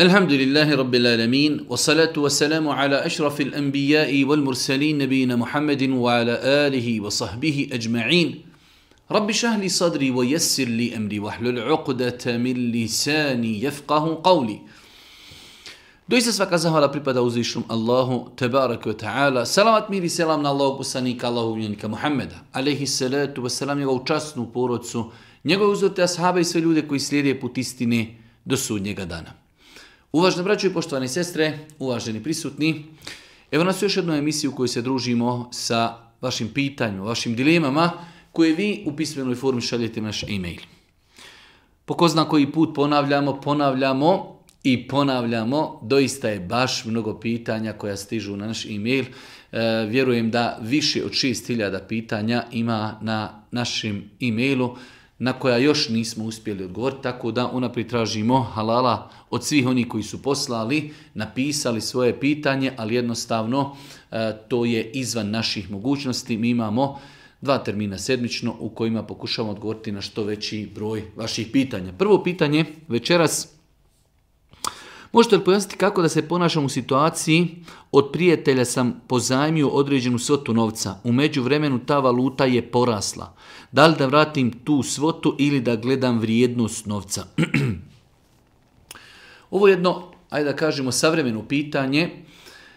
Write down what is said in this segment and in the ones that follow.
Alhamdulillahi Rabbil Alamin, wa salatu wa salamu ala ašrafil anbiya'i wal mursalin nabijina Muhammedin wa ala alihi wa sahbihi ajma'in. Rabbi šahli sadri wa yassir li amri wa hlul uqdata min lisani yafqahu qawli. Doista svaka zahvala pripada uzvišnom Allahu tebaraka wa ta'ala. Salavat mir i selam na Allahog poslanika, Allahog miljenika Muhammeda, alejhi salatu wa salam, njegovu časnu porodcu, njegove uzorite ashabe i sve ljude koji slijede put istine do sudnjega dana. Uvaženi braćo i poštovane sestre, uvaženi prisutni, evo nas u još jednu emisiju u kojoj se družimo sa vašim pitanjima, vašim dilemama koje vi u pismenoj formi šaljete naš e-mail. Po ko zna koji put ponavljamo, doista je baš mnogo pitanja koja stižu na naš e-mail. Vjerujem da više od 6000 pitanja ima na našem e-mailu na koja još nismo uspjeli odgovoriti, tako da unaprijed tražimo halala od svih onih koji su poslali, napisali svoje pitanje, ali jednostavno to je izvan naših mogućnosti. Mi imamo 2 termina sedmično u kojima pokušavamo odgovoriti na što veći broj vaših pitanja. Prvo pitanje večeras: možete li pojasniti kako da se ponašam u situaciji od prijatelja sam pozajmio određenu svotu novca, u međuvremenu ta valuta je porasla. Da li da vratim tu svotu ili da gledam vrijednost novca? Ovo je jedno, ajde da kažemo, savremeno pitanje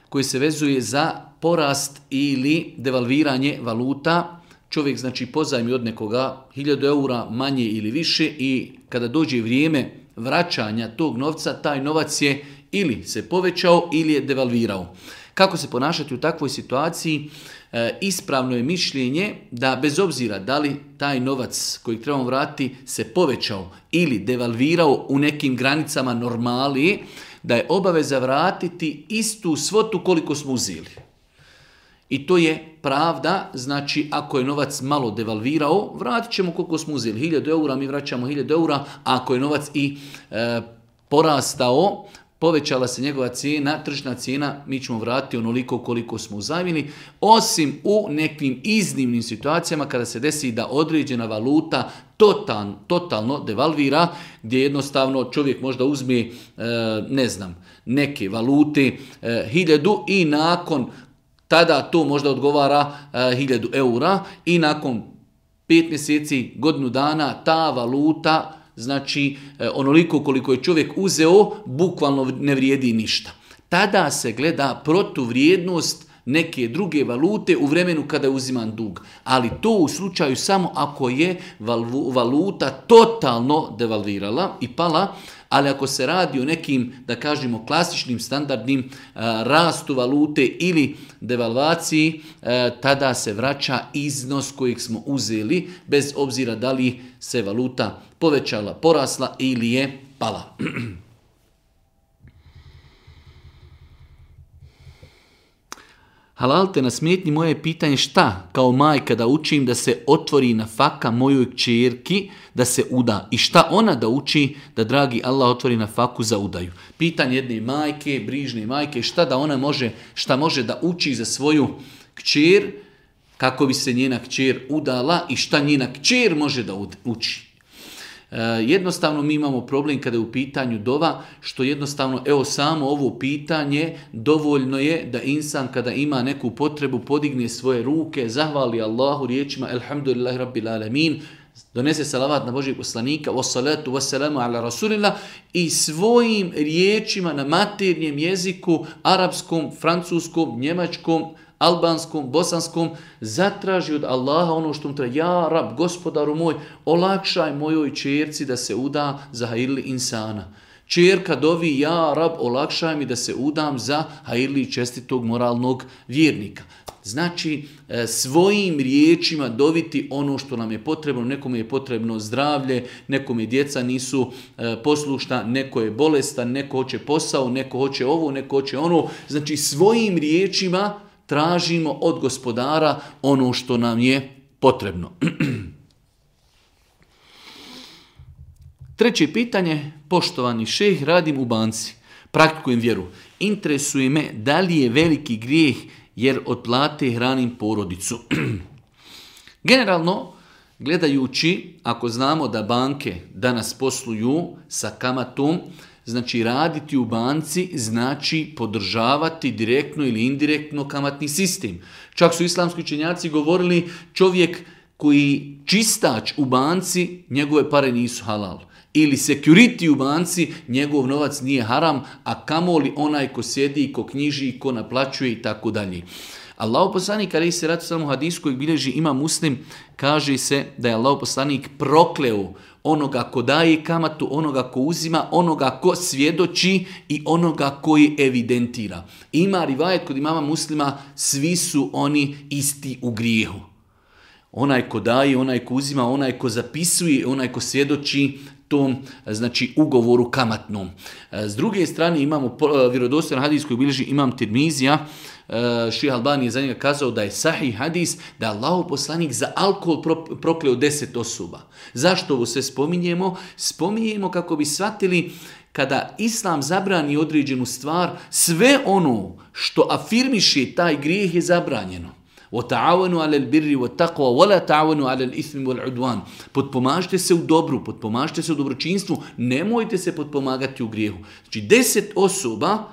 koje se vezuje za porast ili devalviranje valuta. Čovjek znači pozajmi od nekoga 1000 eura manje ili više i kada dođe vrijeme vraćanja tog novca, taj novac je ili se povećao ili je devalvirao. Kako se ponašati u takvoj situaciji? Ispravno je mišljenje da bez obzira da li taj novac koji trebamo vratiti se povećao ili devalvirao u nekim granicama normali, da je obaveza vratiti istu svotu koliko smo uzeli. I to je pravda, znači ako je novac malo devalvirao, vratit ćemo koliko smo uzeli. 1000 eura, mi vraćamo 1000 eura, a ako je novac i porastao, povećala se njegova cijena, tržna cijena, mi ćemo vratiti onoliko koliko smo uzajmili, osim u nekim iznimnim situacijama kada se desi da određena valuta totalno devalvira, gdje jednostavno čovjek možda uzme, neke valute 1000 i nakon tada to možda odgovara 1000 eura i nakon 5 mjeseci, godinu dana, ta valuta, znači onoliko koliko je čovjek uzeo, bukvalno ne vrijedi ništa. Tada se gleda protuvrijednost neke druge valute u vremenu kada je uziman dug. Ali to u slučaju samo ako je valuta totalno devalvirala i pala, ali ako se radi o nekim, da kažemo, klasičnim, standardnim rastu valute ili devalvaciji, tada se vraća iznos kojeg smo uzeli, bez obzira da li se valuta povećala, porasla ili je pala. Halalte na smetnji, moje pitanje: šta kao majka da učim da se otvori nafaka mojoj kćerki da se uda i šta ona da uči da dragi Allah otvori nafaku za udaju? Pitanje jedne majke, brižne majke, šta može da uči za svoju kćer kako bi se njena kćer udala i šta njena kćer može da uči. Jednostavno mi imamo problem kada je u pitanju dova, što jednostavno, samo ovo pitanje dovoljno je da insan kada ima neku potrebu podigne svoje ruke, zahvali Allahu riječima Alhamdulillahi Rabbil Alamin, donese salavat na Božijeg poslanika, wassalatu wassalamu ala rasulillah, i svojim riječima na maternjem jeziku, arapskom, francuskom, njemačkom, albanskom, bosanskom, zatraži od Allaha ono što mu treba: ja Rab, gospodaru moj, olakšaj mojoj čerci da se uda za hajirli insana. Čerka dovi: ja Rab, olakšaj mi da se udam za hajirli čestitog moralnog vjernika. Znači, svojim riječima doviti ono što nam je potrebno. Nekome je potrebno zdravlje, nekome djeca nisu poslušna, neko je bolestan, neko hoće posao, neko hoće ovo, neko hoće ono. Znači, svojim riječima tražimo od gospodara ono što nam je potrebno. Treće pitanje: poštovani šejh, radim u banci, praktikujem vjeru. Interesuje me da li je veliki grijeh jer od plate hranim porodicu. Generalno, gledajući, ako znamo da banke danas posluju sa kamatom znači raditi u banci znači podržavati direktno ili indirektno kamatni sistem. Čak su islamski učenjaci govorili čovjek koji čistač u banci, njegove pare nisu halal. Ili security u banci, njegov novac nije haram, a kamoli onaj ko sjedi, ko knjiži, ko naplaćuje i tako dalje. Allahov poslanik alejhi selatu vesselam u hadisu kojeg bilježi Imam Muslim, kaže se da je Allahov poslanik prokleo onoga ko daje kamatu, onoga ko uzima, onoga ko svjedoči i onoga koji evidentira. Ima rivajet kod imama Muslima, svi su oni isti u grijehu. Onaj ko daje, onaj ko uzima, onaj ko zapisuje, onaj ko svjedoči tom, znači, ugovoru kamatnom. S druge strane imamo vjerodostojan hadis koji bilježi Imam Tirmizija. Šejh Albani je za njega kazao da je sahih hadis, da je Allahov poslanik za alkohol prokleo 10 osoba. Zašto ovo sve spominjemo? Spominjemo kako bi shvatili kada Islam zabrani određenu stvar, sve ono što afirmiše taj grijeh je zabranjeno. وَتَعَوَنُوا عَلَى الْبِرِّ وَالتَّقْوَى وَلَا تَعَوَنُوا عَلَى الْإِثْمِ وَالْعُدْوَانِ. Potpomažite se u dobru, potpomažite se u dobročinstvu, nemojte se potpomagati u grijehu. Znači 10 osoba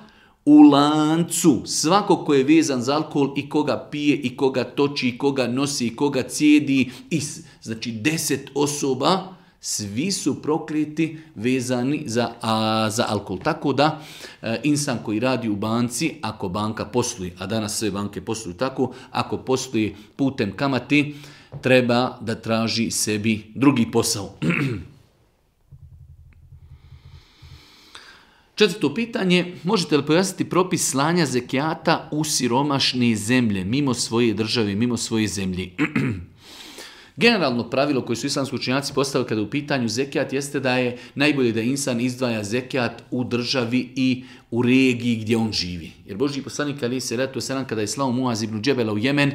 u lancu, svako ko je vezan za alkohol i koga pije i koga toči i koga nosi i koga cijedi, znači 10 osoba, svi su prokleti vezani za alkohol. Tako da insan koji radi u banci, ako banka posluje, a danas sve banke posluju tako, ako posluje putem kamati, treba da traži sebi drugi posao. Četvrto pitanje, možete li pojasniti propis slanja zekijata u siromašne zemlje, mimo svoje države, mimo svoje zemlje? Generalno pravilo koje su islamski učenjaci postavili kada u pitanju zekijat jeste da je najbolje da insan izdvaja zekijat u državi i u regiji gdje on živi. Jer Božji poslanik alejhi selatu vesselam kada je slao Muaz ibn Džebela u Jemen,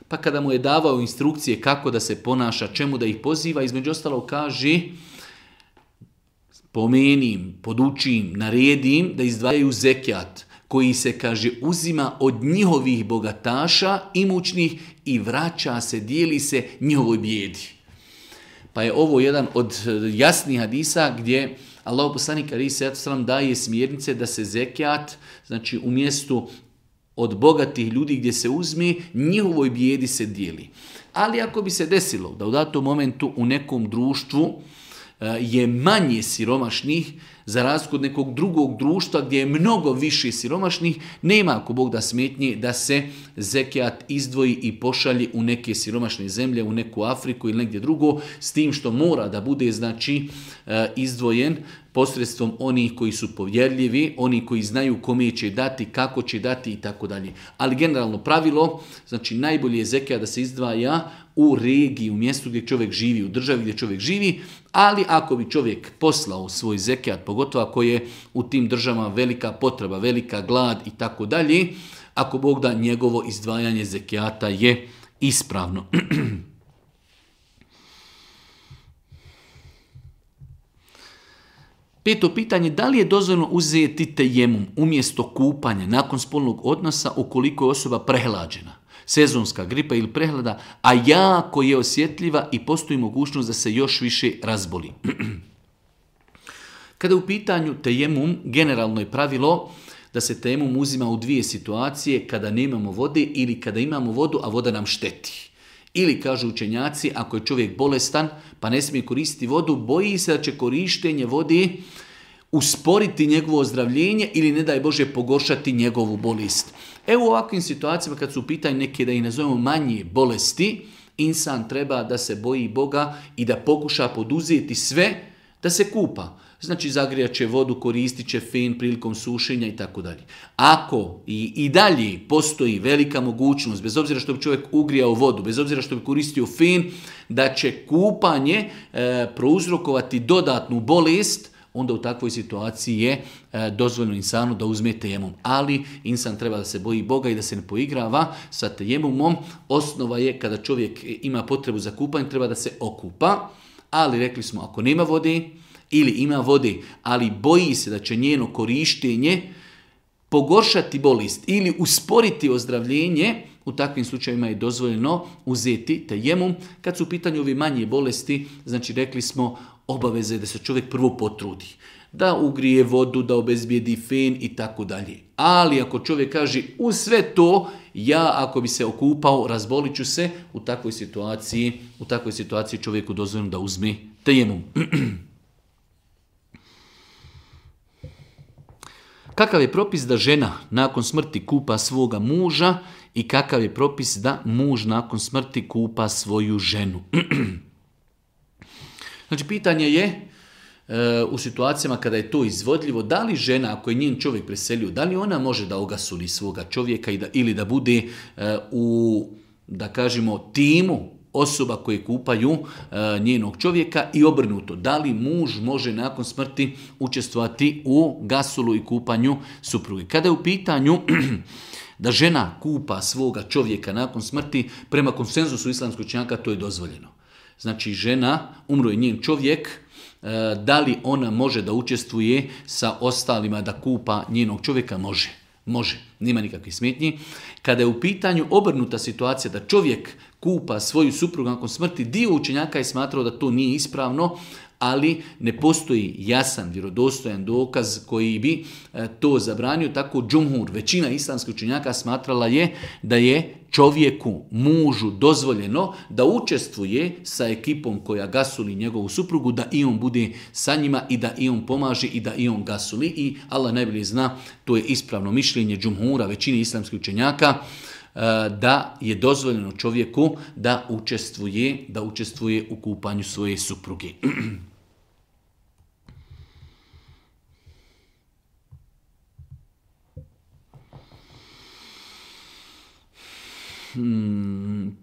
pa kada mu je davao instrukcije kako da se ponaša, čemu da ih poziva, između ostalog kaže: pomenim, podučim, naredim da izdvajaju zekijat koji se, kaže, uzima od njihovih bogataša, imućnih i vraća se, dijeli se njihovoj bijedi. Pa je ovo jedan od jasnih hadisa gdje Allahov poslanik alejhi selatu vesselam daje smjernice da se zekijat, znači u mjestu od bogatih ljudi gdje se uzme, njihovoj bijedi se dijeli. Ali ako bi se desilo da u datom momentu u nekom društvu je manje siromašnih, za razliku od nekog drugog društva gdje je mnogo više siromašnih, nema ako Bog da smetnje da se zekijat izdvoji i pošalje u neke siromašne zemlje, u neku Afriku ili negdje drugo, s tim što mora da bude, znači, izdvojen posredstvom onih koji su povjerljivi, oni koji znaju kome će dati, kako će dati i tako dalje. Ali generalno pravilo, znači najbolje je zekijat da se izdvaja u regiji, u mjestu gdje čovjek živi, u državi gdje čovjek živi, ali ako bi čovjek poslao svoj zekijat, pogotovo ako je u tim državama velika potreba, velika glad i tako dalje, ako Bog da, njegovo izdvajanje zekijata je ispravno. Peto pitanje, da li je dozvoljeno uzeti tejemum umjesto kupanja nakon spolnog odnosa ukoliko je osoba prehlađena, sezonska gripa ili prehlada, a jako je osjetljiva i postoji mogućnost da se još više razboli? Kada je u pitanju tejemum, generalno je pravilo da se tejemum uzima u dvije situacije, kada nemamo vode ili kada imamo vodu, a voda nam šteti. Ili, kažu učenjaci, ako je čovjek bolestan pa ne smije koristiti vodu, boji se da će korištenje vode usporiti njegovo ozdravljenje ili, ne daj Bože, pogoršati njegovu bolest. Evo u ovakvim situacijama kad su u pitanju neke, da ih nazovemo, manje bolesti, insan treba da se boji Boga i da pokuša poduzeti sve da se kupa. Znači zagrijat će vodu, koristit će fen prilikom sušenja i tako dalje. Ako i dalje postoji velika mogućnost, bez obzira što bi čovjek ugrijao vodu, bez obzira što bi koristio fen, da će kupanje prouzrokovati dodatnu bolest, onda u takvoj situaciji je dozvoljeno insanu da uzme tejemum. Ali insan treba da se boji Boga i da se ne poigrava sa tejemumom. Osnova je kada čovjek ima potrebu za kupanje, treba da se okupa. Ali rekli smo, ako nema vode ili ima vode, ali boji se da će njeno korištenje pogoršati bolest ili usporiti ozdravljenje, u takvim slučajevima je dozvoljeno uzeti tejemum. Kad su u pitanju ovi manje bolesti, znači rekli smo, obaveze da se čovjek prvo potrudi. da ugrije vodu, da obezbijedi fen i tako dalje. Ali ako čovjek kaže u sve to, ja ako bi se okupao, razbolit ću se, u takvoj situaciji čovjeku dozvoljeno da uzme tejemum. Kakav je propis da žena nakon smrti kupa svoga muža i kakav je propis da muž nakon smrti kupa svoju ženu? Znači, pitanje je u situacijama kada je to izvodljivo, da li žena, ako je njen čovjek preselio, da li ona može da ogasuli svoga čovjeka ili da bude u, da kažemo, timu osoba koje kupaju njenog čovjeka i obrnuto. Da li muž može nakon smrti učestvovati u gasulu i kupanju supruge? Kada je u pitanju da žena kupa svoga čovjeka nakon smrti, prema konsenzusu islamskog učenjaka to je dozvoljeno. Znači, žena, umro je njen čovjek, da li ona može da učestvuje sa ostalima da kupa njenog čovjeka? Može, nema nikakvih smetnji. Kada je u pitanju obrnuta situacija da čovjek kupa svoju suprugu nakon smrti, dio učenjaka je smatrao da to nije ispravno, ali ne postoji jasan, vjerodostojan dokaz koji bi to zabranio. Tako džumhur, većina islamskih učenjaka smatrala je da je čovjeku, mužu dozvoljeno da učestvuje sa ekipom koja gasuli njegovu suprugu, da i on bude sa njima i da i on pomaže i da i on gasuli. I Allah najbolje zna, to je ispravno mišljenje džumhura, većine islamskih učenjaka, da je dozvoljeno čovjeku da učestvuje u kupanju svoje supruge.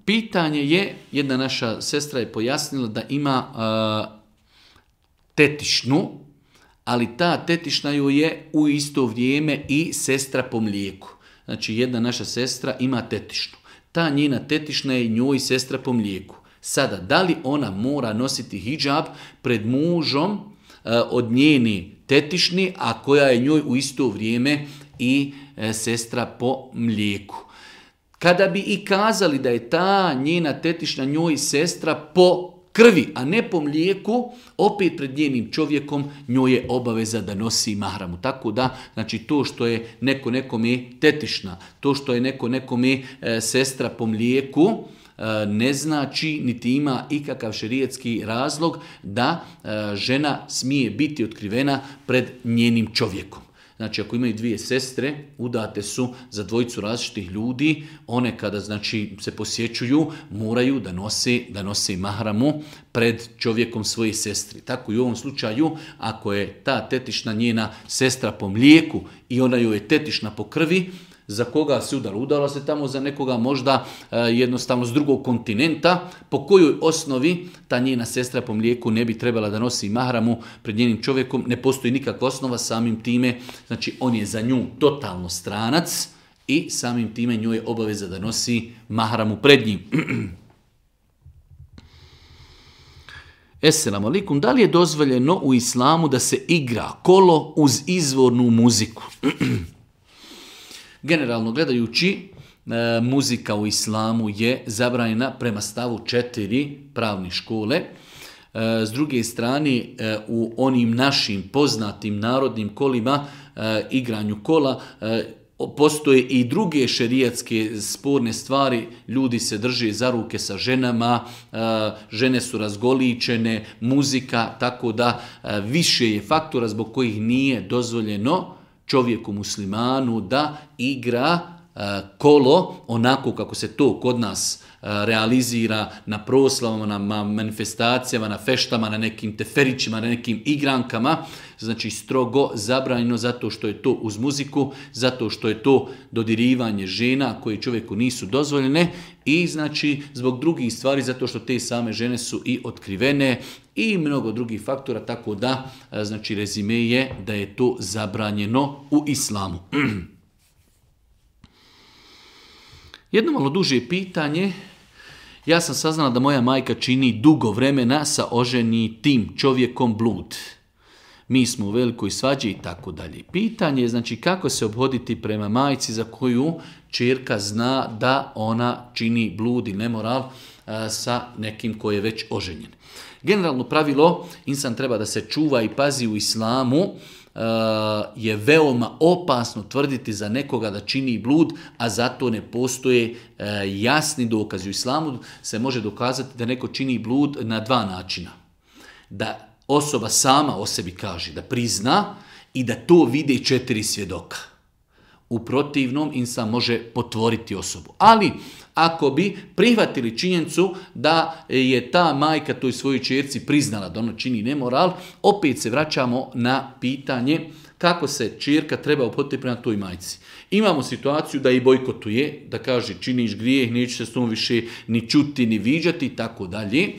Pitanje je, jedna naša sestra je pojasnila da ima tetišnu, ali ta tetišna joj je u isto vrijeme i sestra po mlijeku. Znači, jedna naša sestra ima tetišnu. Ta njena tetišna je njoj sestra po mlijeku. Sada, da li ona mora nositi hidžab pred mužom od njeni tetišni, a koja je njoj u isto vrijeme i sestra po mlijeku? Kada bi i kazali da je ta njena tetišna njoj sestra po krvi, a ne po mlijeku, opet pred njenim čovjekom njoj je obaveza da nosi mahramu. Tako da, znači, to što je neko nekome tetišna, to što je neko nekome sestra po mlijeku, ne znači niti ima ikakav šerijatski razlog da žena smije biti otkrivena pred njenim čovjekom. Znači, ako imaju dvije sestre, udate su za dvojicu različitih ljudi, one kada, znači, se posjećuju, moraju da nose mahramu pred čovjekom svoje sestri. Tako i u ovom slučaju, ako je ta tetišna njena sestra po mlijeku i ona joj je tetišna po krvi, za koga se udala? Udala se tamo za nekoga možda jednostavno s drugog kontinenta, po kojoj osnovi ta njena sestra po mlijeku ne bi trebala da nosi mahramu pred njenim čovjekom. Ne postoji nikakva osnova, samim time, znači on je za nju totalno stranac i samim time njoj je obaveza da nosi mahramu pred njim. Esselamu alaikum, da li je dozvoljeno u islamu da se igra kolo uz izvornu muziku? Generalno gledajući, muzika u islamu je zabranjena prema stavu 4 pravne škole. S druge strane, u onim našim poznatim narodnim kolima, igranju kola, postoje i druge šerijatske sporne stvari, ljudi se drže za ruke sa ženama, žene su razgoličene, muzika, tako da više je faktora zbog kojih nije dozvoljeno čovjeku muslimanu da igra kolo onako kako se to kod nas realizira na proslavama, na manifestacijama, na feštama, na nekim teferićima, na nekim igrankama. Znači, strogo zabranjeno zato što je to uz muziku, zato što je to dodirivanje žena koje čovjeku nisu dozvoljene i znači zbog drugih stvari, zato što te same žene su i otkrivene i mnogo drugih faktora, tako da znači rezime je da je to zabranjeno u islamu. Jedno malo duže pitanje. Ja sam saznala da moja majka čini dugo vremena sa oženitim čovjekom blud. Mi smo u velikoj svađi i tako dalje. Pitanje je, znači, kako se obhoditi prema majci za koju ćerka zna da ona čini blud i nemoral. sa nekim koji je već oženjen. Generalno pravilo, insan treba da se čuva i pazi u islamu, je veoma opasno tvrditi za nekoga da čini blud, a zato ne postoje jasni dokazi. U islamu se može dokazati da neko čini blud na dva načina. Da osoba sama o sebi kaže, da prizna i da to vide 4 svjedoka. U protivnom insan može potvoriti osobu. Ali ako bi prihvatili činjenicu da je ta majka toj svojoj ćerci priznala da ona čini nemoral, opet se vraćamo na pitanje kako se ćerka treba ophoditi prema toj majci. Imamo situaciju da i bojkotuje, da kaže činiš grijeh, neću se s tom više ni čuti, ni viđati i tako dalje.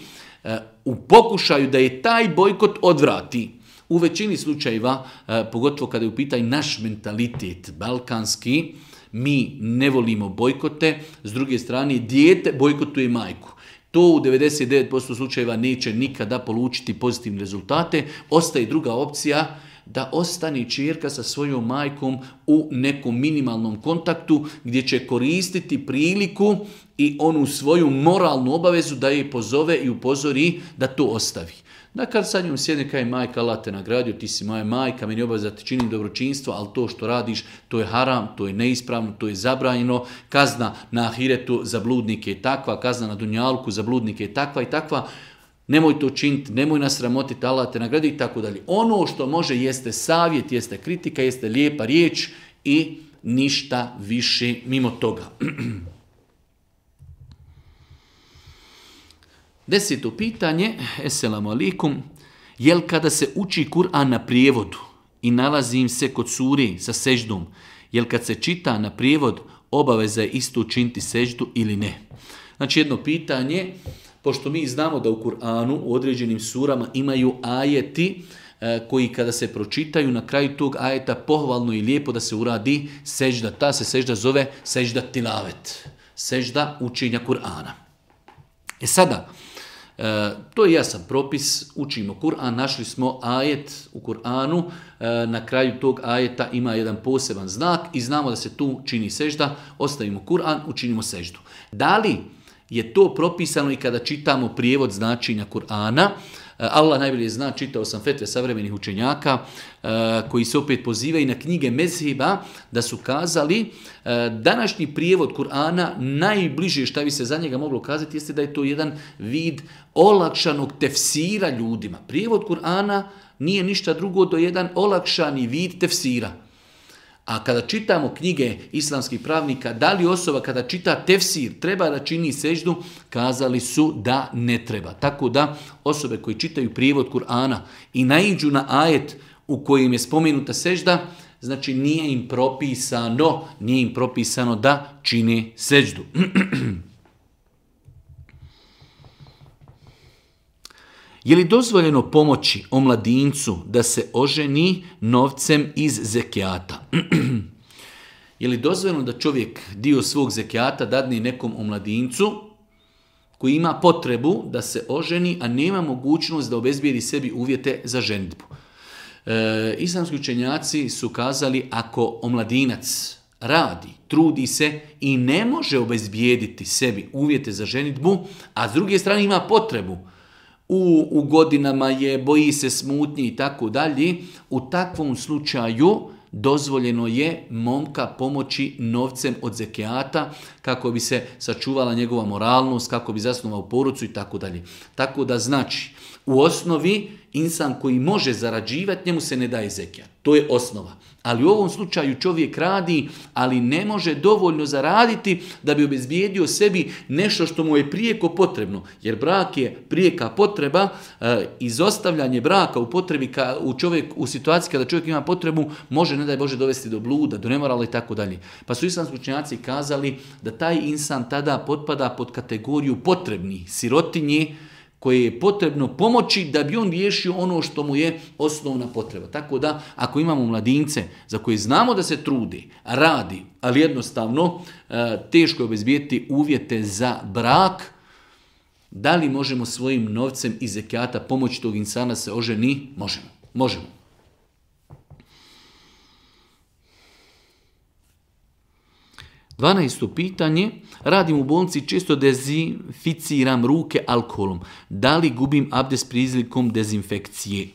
U pokušaju da je taj bojkot odvrati. U većini slučajeva, pogotovo kada je u pitanju naš mentalitet balkanski, mi ne volimo bojkote, s druge strane dijete bojkotuje majku. To u 99% slučajeva neće nikada polučiti pozitivne rezultate. Ostaje druga opcija da ostane ćerka sa svojom majkom u nekom minimalnom kontaktu gdje će koristiti priliku i onu svoju moralnu obavezu da je pozove i upozori da to ostavi. Da kad sa njom sjedne kaj majka, Allah te nagradio, ti si moja majka, meni je obaveza da ti činim dobročinstvo, ali to što radiš, to je haram, to je neispravno, to je zabranjeno, kazna na ahiretu za bludnike je takva, kazna na dunjalku za bludnike je takva i takva, nemoj to činiti, nemoj nas sramotiti, Allah te nagradio i tako dalje. Ono što može jeste savjet, jeste kritika, jeste lijepa riječ i ništa više mimo toga. 10. pitanje, eselamu alikum, jel kada se uči Kur'an na prijevodu i nalazim se kod suri sa seždom, jel kad se čita na prijevod obaveza je isto učiniti seždu ili ne? Znači jedno pitanje, pošto mi znamo da u Kur'anu u određenim surama imaju ajeti koji kada se pročitaju na kraju tog ajeta pohvalno i lijepo da se uradi sežda. Ta se sežda zove sežda tilavet, sežda učenja Kur'ana. Sada, to je jasan propis, učimo Kur'an, našli smo ajet u Kur'anu, na kraju tog ajeta ima jedan poseban znak i znamo da se tu čini sežda, ostavimo Kur'an, učinimo seždu. Da li je to propisano i kada čitamo prijevod značenja Kur'ana? Allah najbolje zna, čitao sam fetve savremenih učenjaka koji se opet pozivaju na knjige mezheba da su kazali današnji prijevod Kur'ana najbliže šta bi se za njega moglo kazati jeste da je to jedan vid olakšanog tefsira ljudima. Prijevod Kur'ana nije ništa drugo do jedan olakšani vid tefsira. A kada čitamo knjige islamskih pravnika, da li osoba kada čita tefsir treba da čini seždu, kazali su da ne treba. Tako da osobe koji čitaju prijevod Kur'ana i naiđu na ajet u kojem je spomenuta sežda, znači nije im propisano da čine seždu. Je li dozvoljeno pomoći omladincu da se oženi novcem iz zekijata? Je li dozvoljeno da čovjek dio svog zekijata dadne nekom omladincu koji ima potrebu da se oženi, a nema mogućnost da obezbijedi sebi uvjete za ženidbu? Islamski učenjaci su kazali ako omladinac radi, trudi se i ne može obezbijediti sebi uvjete za ženidbu, a s druge strane ima potrebu, u godinama je, boji se smutnje i tako dalje, u takvom slučaju dozvoljeno je momka pomoći novcem od zekijata kako bi se sačuvala njegova moralnost, kako bi zasnovao porodicu i tako dalje. Tako da znači, u osnovi insan koji može zarađivati, njemu se ne daje zekijat. To je osnova. Ali u ovom slučaju čovjek radi, ali ne može dovoljno zaraditi da bi obezbijedio sebi nešto što mu je prijeko potrebno. Jer brak je prijeka potreba, izostavljanje braka u potrebi u situaciji kada čovjek ima potrebu može, ne daj Bože, dovesti do bluda, do nemorala i tako dalje. Pa su islamski učenjaci kazali da taj insan tada potpada pod kategoriju potrebnih, sirotinje, koje je potrebno pomoći da bi on riješio ono što mu je osnovna potreba. Tako da, ako imamo mladince za koje znamo da se trudi, radi, ali jednostavno teško je obezbijeti uvjete za brak, da li možemo svojim novcem iz zekijata pomoći tog insana se oženi? Možemo. 12. pitanje, radim u bolnici, često dezinficiram ruke alkoholom. Da li gubim abdest prilikom dezinfekcije?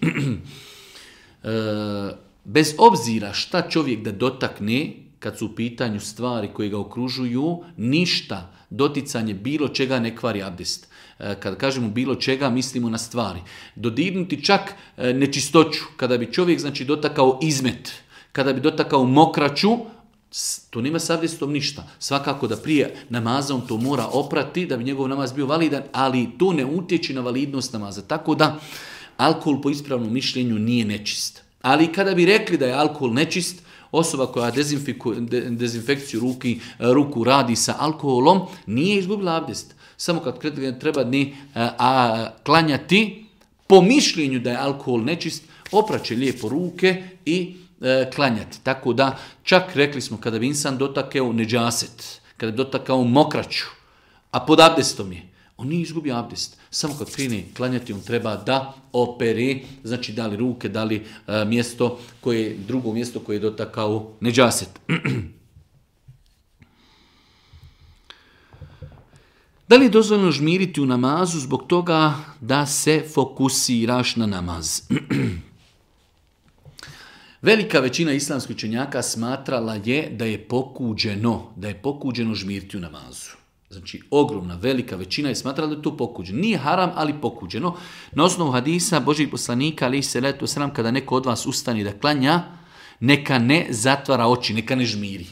Bez obzira šta čovjek da dotakne, kad su u pitanju stvari koje ga okružuju, ništa, doticanje bilo čega ne kvari abdest. Kad kažemo bilo čega, mislimo na stvari. Dodirnuti čak nečistoću, kada bi čovjek dotakao izmet, kada bi dotakao mokraću, to nema s abdestom ništa. Svakako da prije namaza on to mora oprati, da bi njegov namaz bio validan, ali to ne utječe na validnost namaza. Tako da alkohol po ispravnom mišljenju nije nečist. Ali kada bi rekli da je alkohol nečist, osoba koja dezinfekciju ruku radi sa alkoholom, nije izgubila abdest. Samo kad treba klanjati, po mišljenju da je alkohol nečist, opraće lijepo ruke i klanjati. Tako da, čak rekli smo, kada bi insan dotakao neđaset, kada bi dotakao mokraću, a pod abdestom je, on nije izgubio abdest. Samo kad krene klanjati, on treba da opere, znači da li ruke, da li drugo mjesto koje je dotakao neđaset. Da li je dozvoljeno žmiriti u namazu zbog toga da se fokusiraš na namaz? Velika većina islamskih učenjaka smatrala je da je pokuđeno žmiriti u namazu. Znači, ogromna, velika većina je smatrala da je to pokuđeno. Nije haram, ali pokuđeno. Na osnovu hadisa Božjih poslanika, alejhi selatu vesselam, kada neko od vas ustani da klanja, neka ne zatvara oči, neka ne žmiri.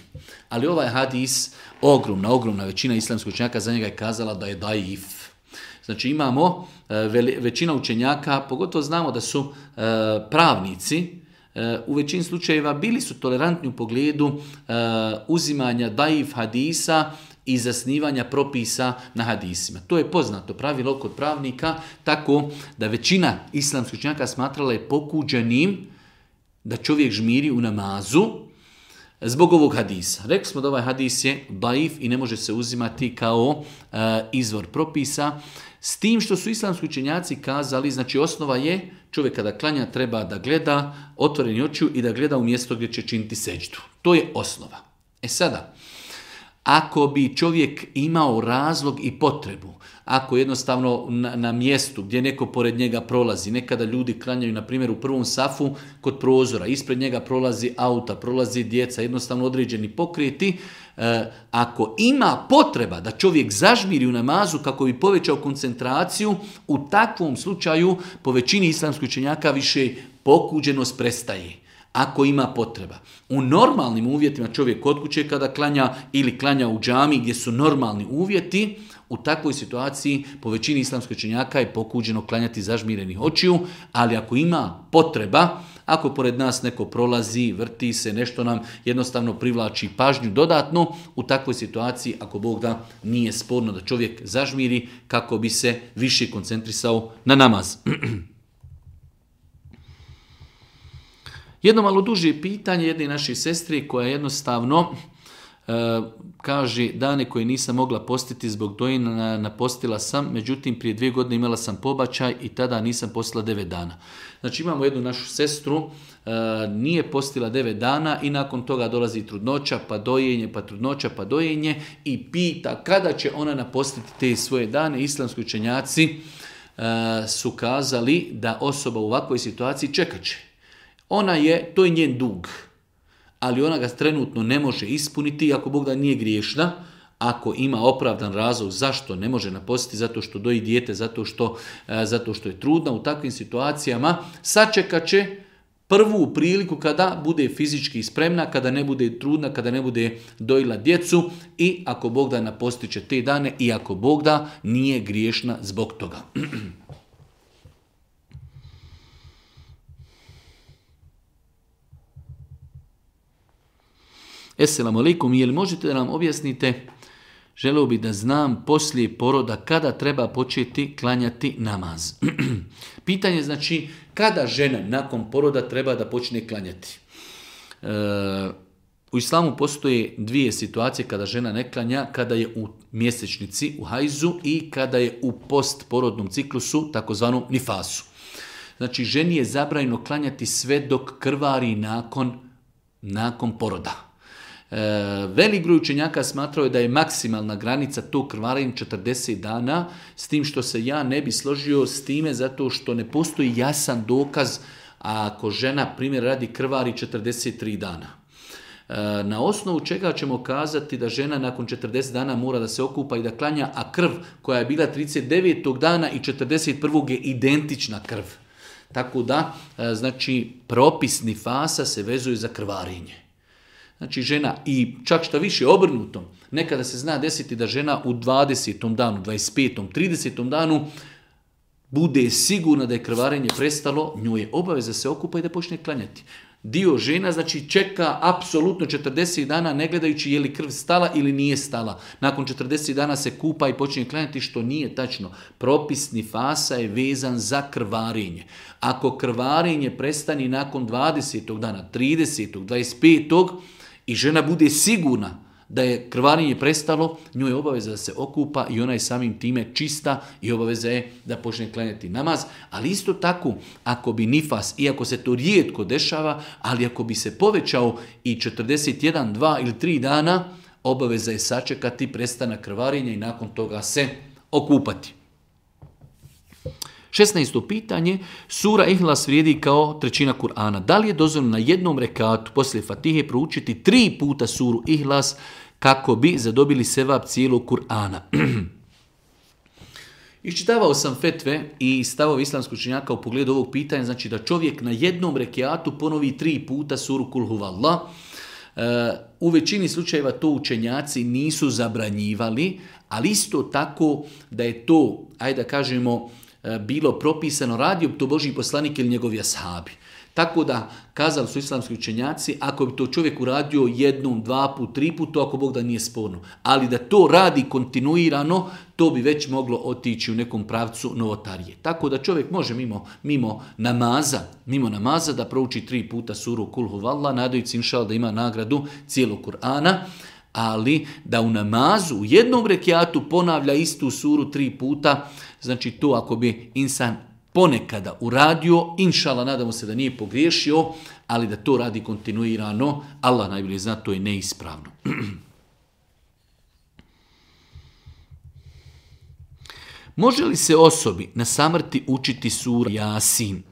Ali ovaj hadis, ogromna većina islamskih učenjaka za njega je kazala da je daif. Znači, imamo većina učenjaka, pogotovo znamo da su pravnici, u većini slučajeva bili su tolerantni u pogledu uzimanja daif hadisa i zasnivanja propisa na hadisima. To je poznato pravilo kod pravnika, tako da većina islamskih učenjaka smatrala je pokuđenim da čovjek žmiri u namazu zbog ovog hadisa. Rekli smo da ovaj hadis je daif i ne može se uzimati kao izvor propisa, s tim što su islamski učenjaci kazali, znači osnova je čovjek kada klanja treba da gleda otvoreni očiju i da gleda u mjesto gdje će činiti seđdu. To je osnova. Sada, ako bi čovjek imao razlog i potrebu, ako jednostavno na mjestu gdje neko pored njega prolazi, nekada ljudi klanjaju, na primjer, u prvom safu kod prozora, ispred njega prolazi auta, prolazi djeca, jednostavno određeni pokreti, ako ima potreba da čovjek zažmiri u namazu kako bi povećao koncentraciju, u takvom slučaju po većini islamskih učenjaka više pokuđenost prestaje. Ako ima potreba. U normalnim uvjetima čovjek kod kuće kada klanja ili klanja u džami gdje su normalni uvjeti, u takvoj situaciji po većini islamskih učenjaka je pokuđeno klanjati zažmirenih očiju, ali ako ima potreba, ako pored nas neko prolazi, vrti se, nešto nam jednostavno privlači pažnju dodatno, u takvoj situaciji, ako Bog da, nije sporno da čovjek zažmiri kako bi se više koncentrisao na namaz. Jedno malo duže pitanje jedne naše sestre koja jednostavno kaže dane koje nisam mogla postiti zbog dojenja napostila sam, međutim prije 2 godine imala sam pobačaj i tada nisam postila 9 dana. Znači imamo jednu našu sestru, nije postila 9 dana i nakon toga dolazi trudnoća, pa dojenje, pa trudnoća, pa dojenje i pita kada će ona napostiti te svoje dane. Islamski učenjaci su kazali da osoba u ovakvoj situaciji čekat će. To je njen dug, ali ona ga trenutno ne može ispuniti, ako Bog da nije griješna, ako ima opravdan razlog zašto ne može napostiti, zato što doji dijete, zato što je trudna, u takvim situacijama sačekat će prvu priliku kada bude fizički spremna, kada ne bude trudna, kada ne bude dojila djecu i ako Bog da napostit će te dane i ako Bog da nije griješna zbog toga. Esselamu alaikum, je li možete da nam objasnite, želeo bi da znam poslije poroda kada treba početi klanjati namaz. Pitanje znači kada žena nakon poroda treba da počne klanjati. U islamu postoje 2 situacije kada žena ne klanja, kada je u mjesečnici, u hajzu i kada je u postporodnom ciklusu, takozvanom nifasu. Znači ženi je zabranjeno klanjati sve dok krvari nakon poroda. Velik broj učenjaka smatrao je da je maksimalna granica tog krvarenja 40 dana, s tim što se ja ne bi složio s time zato što ne postoji jasan dokaz ako žena, primjer radi, krvari 43 dana. Na osnovu čega ćemo kazati da žena nakon 40 dana mora da se okupa i da klanja, a krv koja je bila 39. dana i 41. je identična krv. Tako da, znači, propis nifasa se vezuje za krvarenje. Znači žena, i čak šta više obrnutom, nekada se zna desiti da žena u 20. danu, 25. 30. danu bude sigurna da je krvarenje prestalo, njoj je obaveza se okupa i da počne klanjati. Dio žena znači čeka apsolutno 40 dana ne gledajući je li krv stala ili nije stala. Nakon 40 dana se kupa i počne klanjati, što nije tačno. Propis nifasa je vezan za krvarenje. Ako krvarenje prestani nakon 20. dana, 30. 25. i žena bude sigurna da je krvarenje prestalo, njoj je obaveza da se okupa i ona je samim time čista i obaveza je da počne klanjati namaz. Ali isto tako, ako bi nifas, iako se to rijetko dešava, ali ako bi se povećao i 41, 2 ili 3 dana, obaveza je sačekati prestanak krvarenja i nakon toga se okupati. 16. pitanje, sura Ihlas vrijedi kao trećina Kur'ana. Da li je dozvoljeno na jednom rekatu poslije Fatihe proučiti 3 puta suru Ihlas kako bi zadobili sevap cijelog Kur'ana? Iščitavao sam fetve i stavove islamskog učenjaka u pogledu ovog pitanja, znači da čovjek na jednom rekatu ponovi 3 puta suru Kul huvallah. U većini slučajeva to učenjaci nisu zabranjivali, ali isto tako da je to, ajde da kažemo, bilo propisano, radio to Božji poslanik ili njegovi ashabi. Tako da, kazali su islamski učenjaci, ako bi to čovjek uradio 1, 2 put, 3 put, to ako Bog da nije sporno. Ali da to radi kontinuirano, to bi već moglo otići u nekom pravcu novotarije. Tako da čovjek može mimo namaza da prouči 3 puta suru Kul huvallah, nadajući inšal da ima nagradu cijelog Kur'ana, ali da u namazu, u jednom rekiatu ponavlja istu suru 3 puta, znači to ako bi insan ponekada uradio, inšala, nadamo se da nije pogriješio, ali da to radi kontinuirano, Allah najbolje zna, to je neispravno. Može li se osobi na samrti učiti sura Jasin?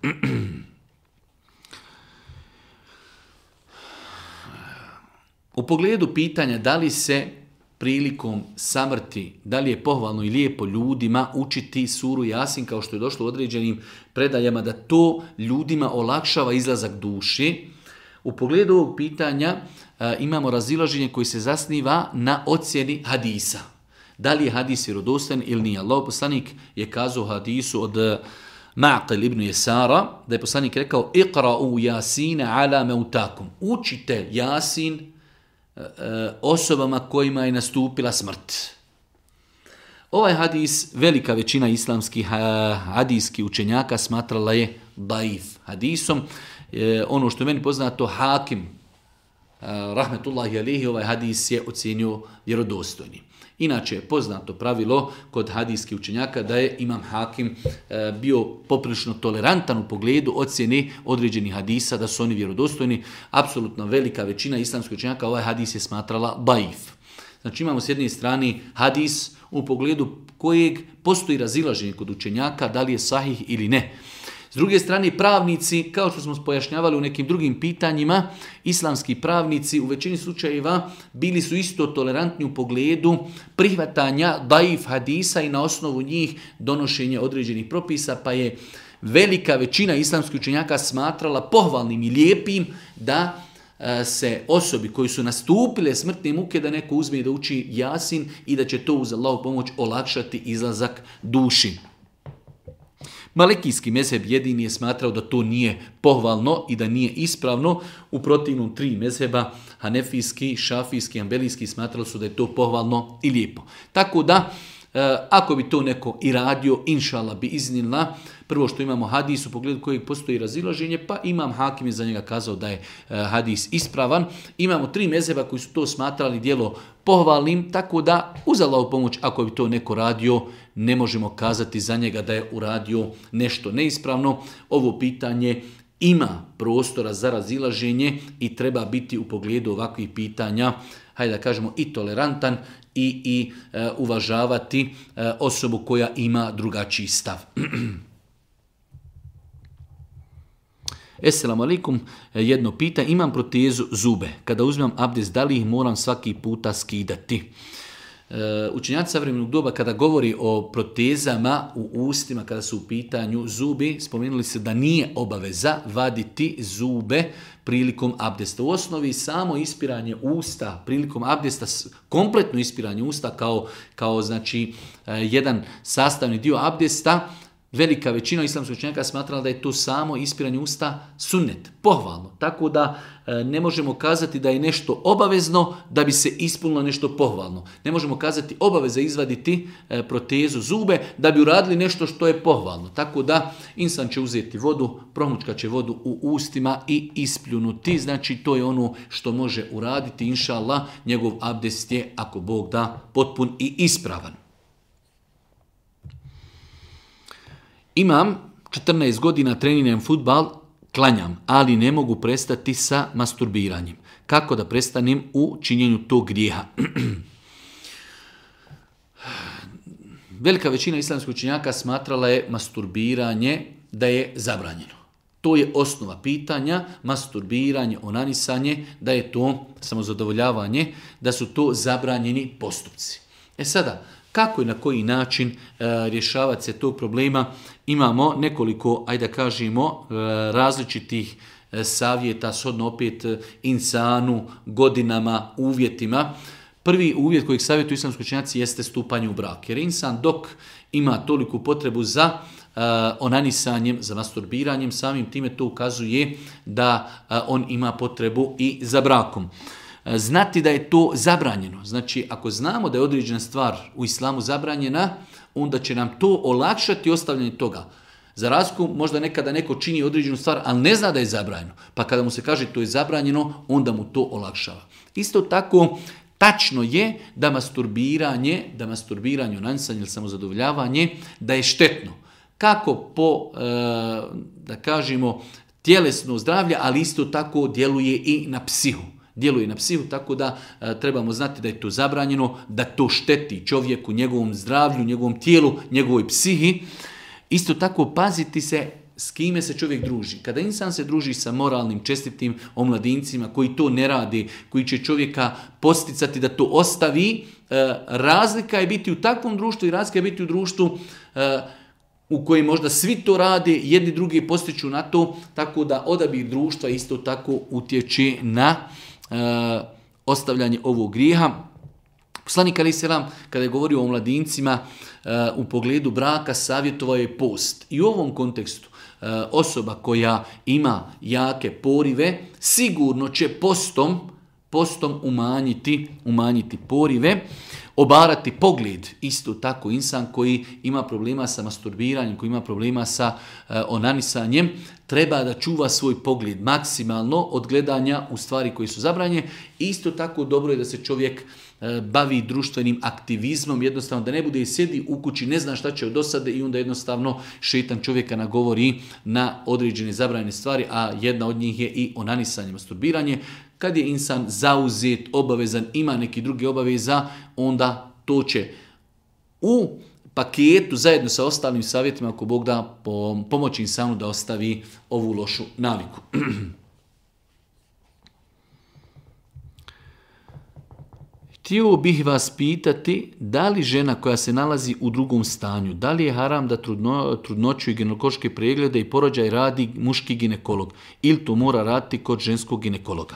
U pogledu pitanja da li se prilikom samrti, da li je pohvalno i lijepo ljudima učiti suru Jasin, kao što je došlo u određenim predajama, da to ljudima olakšava izlazak duši. U pogledu ovog pitanja imamo razilaženje koji se zasniva na ocjeni hadisa. Da li je hadis vjerodostojan ili nije? Allahov poslanik je kazao u hadisu od Ma'qil ibn Yasara, da je poslanik rekao Iqra'u Jasina ala meutakum. Učite Jasin osobama kojima je nastupila smrt. Ovaj hadis, velika većina islamskih hadijskih učenjaka smatrala je daif hadisom. Ono što je meni poznato, Hakim, rahmetullahi alihi, ovaj hadis je ocjenio vjerodostojnim. Inače je poznato pravilo kod hadijskih učenjaka da je imam Hakim bio poprilično tolerantan u pogledu ocjene određenih hadisa, da su oni vjerodostojni. Apsolutno velika većina islamskih učenjaka ovaj hadis je smatrala daif. Znači imamo s jedne strane hadis u pogledu kojeg postoji razilaženje kod učenjaka da li je sahih ili ne. S druge strane, pravnici, kao što smo pojašnjavali u nekim drugim pitanjima, islamski pravnici u većini slučajeva bili su isto tolerantni u pogledu prihvatanja daif hadisa i na osnovu njih donošenja određenih propisa, pa je velika većina islamskih učenjaka smatrala pohvalnim i lijepim da se osobi koji su nastupile smrtne muke da neko uzme da uči Jasin i da će to uz Allahovu pomoć olakšati izlazak duši. Malikijski mezheb jedini je smatrao da to nije pohvalno i da nije ispravno. U protivnom 3 mezheba, hanefijski, šafijski, ambelijski, smatrali su da je to pohvalno i lijepo. Tako da, ako bi to neko i radio, inšala bi iznilna, prvo što imamo hadis u pogledu kojeg postoji razilaženje, pa imam Hakim je za njega kazao da je hadis ispravan. Imamo 3 mezheba koji su to smatrali djelo pohvalnim, tako da uz Allahovu pomoć, ako bi to neko radio, ne možemo kazati za njega da je uradio nešto neispravno. Ovo pitanje ima prostora za razilaženje i treba biti u pogledu ovakvih pitanja, hajde da kažemo, i tolerantan i uvažavati osobu koja ima drugačiji stav. Esselamu alaikum, jedno pita, imam protezu zube. Kada uzmem abdest, da li ih moram svaki puta skidati? Učenjaci savremenog doba kada govori o protezama u ustima, kada su u pitanju zubi, spomenuli se da nije obaveza vaditi zube prilikom abdesta. U osnovi samo ispiranje usta prilikom abdesta, kompletno ispiranje usta kao znači jedan sastavni dio abdesta, velika većina islamskih učenjaka smatrala da je to samo ispiranje usta sunnet, pohvalno. Tako da ne možemo kazati da je nešto obavezno da bi se ispunilo nešto pohvalno. Ne možemo kazati obaveza izvaditi protezu zube da bi uradili nešto što je pohvalno. Tako da insan će uzeti vodu, promučkat će vodu u ustima i ispljunuti. Znači to je ono što može uraditi. Inša Allah, njegov abdest je, ako Bog da, potpun i ispravan. Imam 14 godina, treniram fudbal, klanjam, ali ne mogu prestati sa masturbiranjem. Kako da prestanem u činjenju tog grijeha? Velika većina islamskih učenjaka smatrala je masturbiranje da je zabranjeno. To je osnova pitanja, masturbiranje, onanisanje, da je to samozadovoljavanje, da su to zabranjeni postupci. Sada, kako i na koji način rješavati se tog problema? Imamo nekoliko, ajde da kažemo, različitih savjeta, shodno opet insanu, godinama, uvjetima. Prvi uvjet kojeg savjetuju islamski učenjaci jeste stupanje u brak. Jer insan dok ima toliku potrebu za onanisanjem, za masturbiranjem, samim time to ukazuje da on ima potrebu i za brakom. Znati da je to zabranjeno. Znači, ako znamo da je određena stvar u islamu zabranjena, onda će nam to olakšati ostavljanje toga. Za razliku, možda nekada neko čini određenu stvar, ali ne zna da je zabranjeno. Pa kada mu se kaže to je zabranjeno, onda mu to olakšava. Isto tako, tačno je da masturbiranje, onanisanje ili samozadovoljavanje, da je štetno. Kako po, da kažemo, tjelesno zdravlje, ali isto tako djeluje i na psihu. Tako da trebamo znati da je to zabranjeno, da to šteti čovjeku, njegovom zdravlju, njegovom tijelu, njegovoj psihi. Isto tako paziti se s kime se čovjek druži. Kada insan se druži sa moralnim, čestitim omladincima koji to ne rade, koji će čovjeka posticati da to ostavi, razlika je biti u takvom društvu i razlika je biti u društvu u kojem možda svi to rade, jedni drugi postiču na to, tako da odabir društva isto tako utječe na ostavljanje ovog grijeha. Poslanik alejhi selam, kada je govorio o mladincima u pogledu braka, savjetovao je post. I u ovom kontekstu osoba koja ima jake porive sigurno će postom umanjiti porive, obarati pogled. Isto tako insan koji ima problema sa masturbiranjem, koji ima problema sa onanisanjem, treba da čuva svoj pogled maksimalno od gledanja u stvari koje su zabranjene. Isto tako dobro je da se čovjek bavi društvenim aktivizmom, jednostavno da ne bude sjedi u kući, ne zna šta će od dosade i onda jednostavno šejtan čovjeka nagovori na određene zabranjene stvari, a jedna od njih je i onanisanje, masturbiranje. Kad je insan zauzet, obavezan, ima neki drugi obaveza, onda to će u paketu zajedno sa ostalim savjetima, ako Bog da, pomoći insanu da ostavi ovu lošu naviku. Htio bih vas pitati, da li žena koja se nalazi u drugom stanju, da li je haram da trudnoću i ginekološke preglede i porođaj radi muški ginekolog ili to mora raditi kod ženskog ginekologa?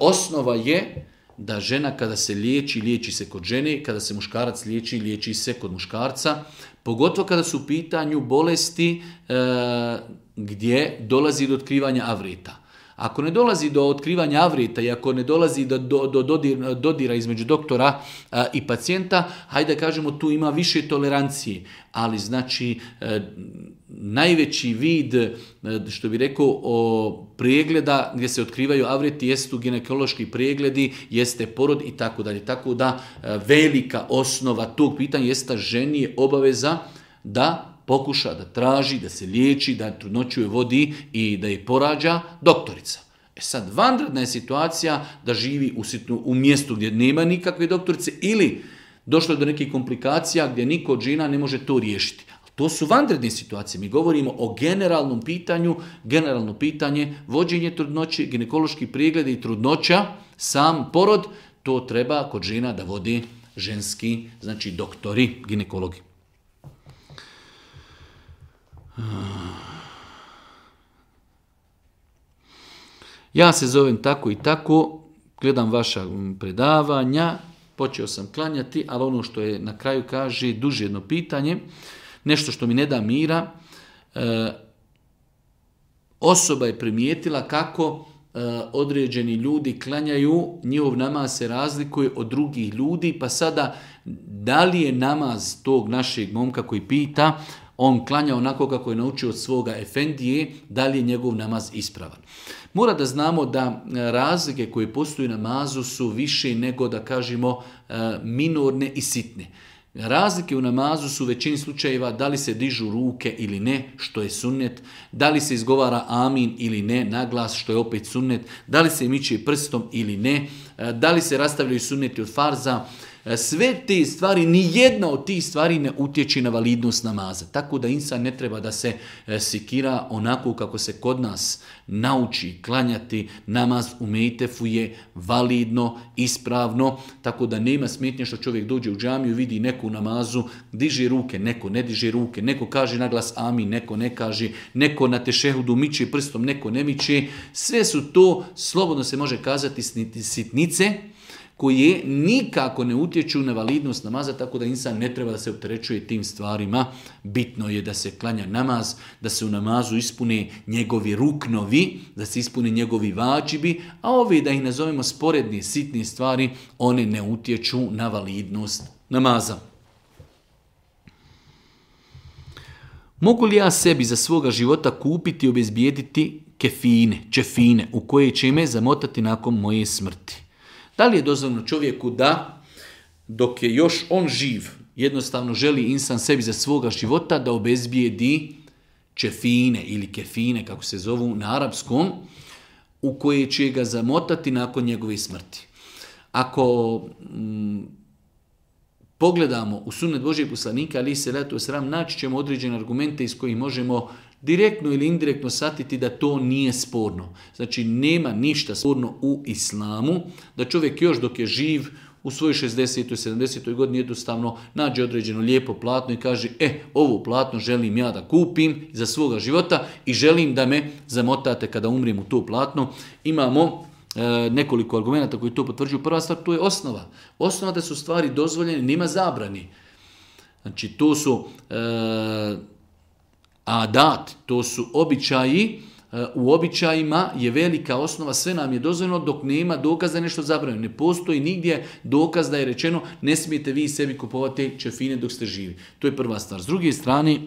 Osnova je da žena kada se liječi se kod žene, kada se muškarac liječi se kod muškarca, pogotovo kada su u pitanju bolesti gdje dolazi do otkrivanja avreta. Ako ne dolazi do otkrivanja avreta i ako ne dolazi do dodira između doktora i pacijenta, hajde da kažemo tu ima više tolerancije. Ali znači najveći vid, što bi rekao, pregleda gdje se otkrivaju avreti jesu ginekološki pregledi, jeste porod i tako dalje. Tako da velika osnova tog pitanja jeste ženi je obaveza da pokuša da traži, da se liječi, da trudnoću je vodi i da je porađa doktorica. Sad, vanredna je situacija da živi u mjestu gdje nema nikakve doktorice ili došlo je do nekih komplikacija gdje niko od žena ne može to riješiti. To su vanredne situacije. Mi govorimo o generalnom pitanju, generalno pitanje, vođenje trudnoće, ginekološki pregled i trudnoća, sam porod, to treba kod žena da vodi ženski, znači doktori, ginekologi. Ja se zovem tako i tako, gledam vaša predavanja, počeo sam klanjati, ali ono što je na kraju kaže, duže jedno pitanje, nešto što mi ne da mira, osoba je primijetila kako određeni ljudi klanjaju, njihov namaz se razlikuje od drugih ljudi, pa sada da li je namaz tog našeg momka koji pita, on klanja onako kako je naučio od svoga efendije, da li je njegov namaz ispravan. Mora da znamo da razlike koje postoji u namazu su više nego da kažemo minorne i sitne. Razlike u namazu su u većini slučajeva da li se dižu ruke ili ne, što je sunnet, da li se izgovara amin ili ne, naglas, što je opet sunnet, da li se miče prstom ili ne, da li se rastavljaju sunneti od farza. Sve te stvari, ni jedna od tih stvari ne utječe na validnost namaza. Tako da insan ne treba da se sikira onako kako se kod nas nauči klanjati. Namaz u mejtefu je validno, ispravno, tako da nema smetnje što čovjek dođe u džamiju, vidi neku namazu, diže ruke, neko ne diže ruke, neko kaže naglas amin, neko ne kaže, neko na tešehudu miče prstom, neko ne miče. Sve su to, slobodno se može kazati, sitnice, koje nikako ne utječu na validnost namaza, tako da insan ne treba da se opterećuje tim stvarima. Bitno je da se klanja namaz, da se u namazu ispune njegovi ruknovi, da se ispune njegovi vađibi, a ove, da ih nazovemo sporedne, sitne stvari, one ne utječu na validnost namaza. Mogu li ja sebi za svoga života kupiti i obezbijediti čefine u koje će me zamotati nakon moje smrti? Da li je dozvoljeno čovjeku da, dok je još on živ, jednostavno želi insan sebi za svoga života da obezbijedi čefine ili kefine, kako se zovu na arapskom, u koje će ga zamotati nakon njegove smrti. Ako pogledamo u sunnet Božijeg poslanika, ali se letu sram, naći ćemo određene argumente iz kojih možemo direktno ili indirektno shvatiti da to nije sporno. Znači, nema ništa sporno u islamu, da čovjek još dok je živ u svojoj 60. i 70. godini jednostavno nađe određeno lijepo platno i kaže, ovo platno želim ja da kupim za svoga života i želim da me zamotate kada umrijem u to platno. Imamo nekoliko argumenta koji to potvrđuju. Prva stvar, to je osnova. Osnova da su stvari dozvoljene, nema zabrani. Znači, to su adat, to su običaji. U običajima je velika osnova, sve nam je dozvoljeno dok nema dokaza da je nešto zabranjeno. Ne postoji nigdje dokaz da je rečeno ne smijete vi sebi kupovati čefine dok ste živi. To je prva stvar. S druge strane,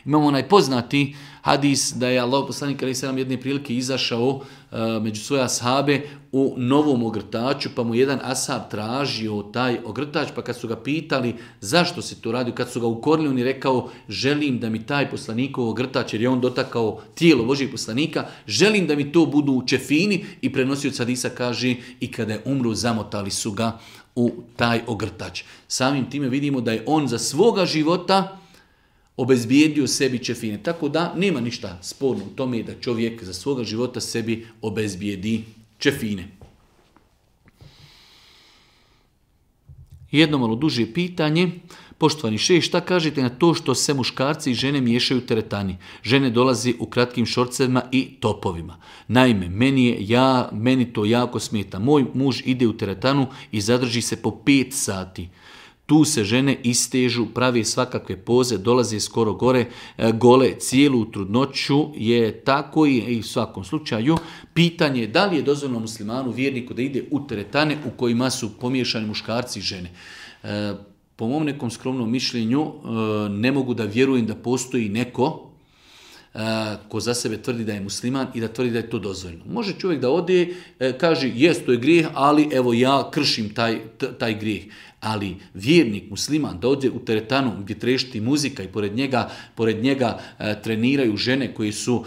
imamo onaj poznati hadis da je Allah poslanik alejhi selam jedne prilike izašao među svoje ashabe u novom ogrtaču, pa mu jedan ashab tražio taj ogrtač, pa kad su ga pitali zašto se to radi, kad su ga ukorili, on je rekao želim da mi taj poslanikov ogrtač, jer je on dotakao tijelo Božijeg poslanika, želim da mi to budu čefini, i prenosioc hadisa kaže i kada je umro zamotali su ga u taj ogrtač. Samim time vidimo da je on za svoga života obezbijedio sebi čefine. Tako da nema ništa sporno u tome da čovjek za svoga života sebi obezbijedi čefine. Jedno malo duže pitanje. Poštovani šejh, šta kažete na to što se muškarci i žene miješaju u teretani? Žene dolazi u kratkim šorcevima i topovima. Naime, meni to jako smeta. Moj muž ide u teretanu i zadrži se po 5 sati. Tu se žene istežu, pravi svakakve poze, dolaze skoro gole, cijelu trudnoću je tako i u svakom slučaju. Pitanje je da li je dozvoljeno muslimanu, vjerniku, da ide u teretane u kojima su pomiješani muškarci i žene. Po mom nekom skromnom mišljenju ne mogu da vjerujem da postoji neko ko za sebe tvrdi da je musliman i da tvrdi da je to dozvoljeno. Može čovjek da ode, kaže jest, to je grijeh, ali evo ja kršim taj grijeh. Ali vjernik, musliman, da ode u teretanu gdje trešti muzika i pored njega treniraju žene koje su,